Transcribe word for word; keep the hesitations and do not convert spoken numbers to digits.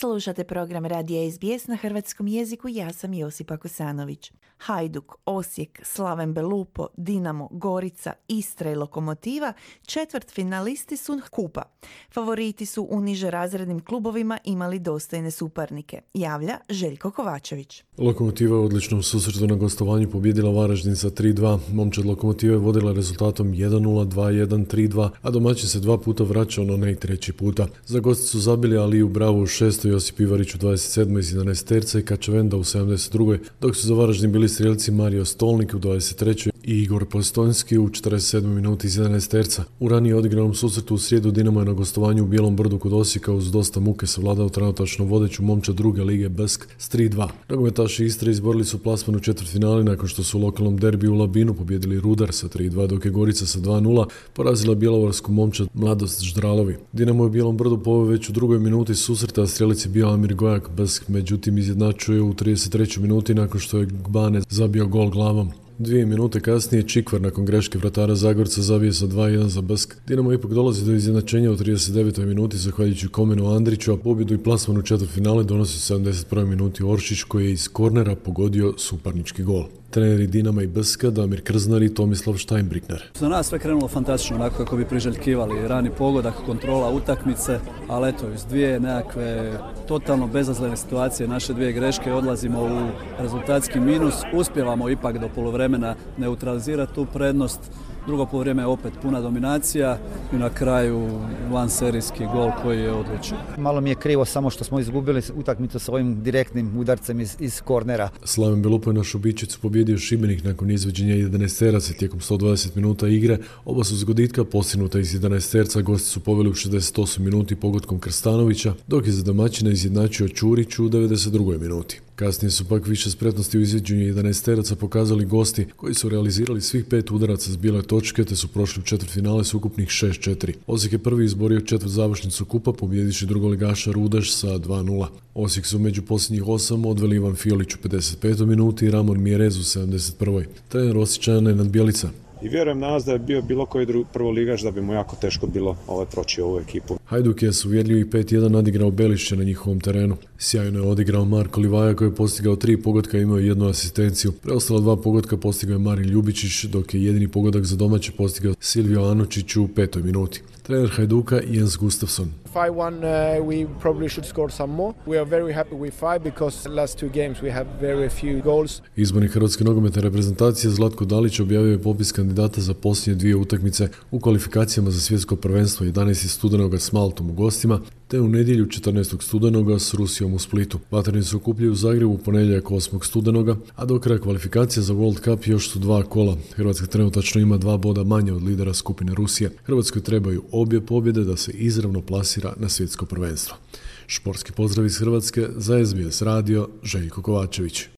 Slušate program Radija S B S na hrvatskom jeziku, ja sam Josipa Kosanović. Hajduk, Osijek, Slaven Belupo, Dinamo, Gorica, Istra i Lokomotiva četvrt finalisti su kupa. Favoriti su u niže razrednim klubovima imali dostojne suparnike, javlja Željko Kovačević. Lokomotiva je u odličnom susretu na gostovanju pobijedila Varaždin sa tri dva. Momčad Lokomotive vodila rezultatom jedan nula, dva jedan, tri dva, a domaćin se dva puta vraćao, no ne i treći puta. Za gosti su zabili Aliju Bravu u šestoj, Josip Ivarić u dvadeset sedmoj iz jedanaesterca i Kačavenda u sedamdeset drugoj, dok su za Varaždin bili strijelci Mario Stolnik u dvadeset trećoj i Igor Postojnski u četrdeset sedmoj minuti iz jedanaesterca. U ranije odigranom susretu u srijedu Dinamo je na gostovanju u Bijelom Brdu kod Osijeka uz dosta muke savladao trenutačno vodeću Momčad druge lige Besk s tri dva. Nogometaši Istre izborili su plasman u četvrtfinali nakon što su u lokalnom derbiju u Labinu pobijedili Rudar sa tri dva, dok je Gorica sa dva nula porazila bjelovarsku Momčad Mladost Ždralovi. Dinamo je u Bijelom Brdu poveo već u drugoj minuti susreta, a strijelac je bio Amir Gojak. Besk međutim izjednačuje u trideset trećoj minuti nakon što je Gbane zabio gol glavom. Dvije minute kasnije Čikvar nakon greške vratara Zagorca zabije sa dva jedan za Besk. Dinamo ipak dolazi do izjednačenja u trideset devetoj minuti zahvaljujući Komenu Andriću, a pobjedu i plasman u četvrtfinale donosi u sedamdeset prvoj minuti Oršić koji je iz kornera pogodio suparnički gol. Treneri Dinama i Beska Damir Krznar i Tomislav Štajnbrikner. Za nas sve krenulo fantastično, onako kako bi priželjkivali. Rani pogodak, kontrola utakmice, ali eto, iz dvije nekakve totalno bezazlene situacije, naše dvije greške, odlazimo u rezultatski minus. Uspjevamo ipak do poluvremena neutralizirati tu prednost. Drugo poluvreme je opet puna dominacija i na kraju vanserijski gol koji je odlučen. Malo mi je krivo samo što smo izgubili utakmicu s ovim direktnim udarcem iz, iz kornera. Slaven Belupo je na Šubićicu pobjedio Šibenik nakon izvođenja jedanaesteraca tijekom sto dvadeset minuta igre. Oba su zgoditka postignuta iz jedanaesterca, gosti su poveli u šezdeset osmoj minuti pogodkom Krstanovića, dok je za domaćina izjednačio Ćurić u devedeset drugoj minuti. Kasnije su pak više spretnosti u izvođenju jedanaesteraca pokazali gosti koji su realizirali svih pet udaraca s bijele točke te su prošli u četvrtfinale s ukupnih šest četiri. Osijek je prvi izborio četvrt završnicu kupa pobjediši drugoligaša Rudeš sa dva nula. Osijek su među posljednjih osam odveli Ivan Fiolić u pedeset petoj minuti i Ramon Mjerez u sedamdeset prvoj. Trener Osječana je Nenad Bjelica. I vjerujem danas da je bio bilo koji prvoligaš da bi mu jako teško bilo ovaj proći ovu ekipu. Hajduk je s uvjerljivih pet jedan nadigrao Belišće na njihovom terenu. Sjajno je odigrao Marko Livaja koji je postigao tri pogotka i imao jednu asistenciju. Preostala dva pogotka postigao je Marin Ljubičić, dok je jedini pogodak za domaće postigao Silvio Anučić u petoj minuti. Trener Hajduka Jens Gustafsson. five one uh, we probably should score some more. We are very happy with five because last two games we have very few goals. Izbornik hrvatske nogometne reprezentacije Zlatko Dalić objavio je popis kandidata za posljednje dvije utakmice u kvalifikacijama za svjetsko prvenstvo jedanaestog studenoga s Maltom u gostima, te u nedjelju četrnaestog studenoga s Rusijom u Splitu. Vatreni se okupljaju u Zagrebu u ponedjeljak osmog studenoga, a do kraja kvalifikacija za World Cup još su dva kola. Hrvatska trenutačno ima dva boda manje od lidera skupine Rusije. Hrvatskoj trebaju obje pobjede da se izravno plasira na svjetsko prvenstvo. Športski pozdrav iz Hrvatske za S B S radio, Željko Kovačević.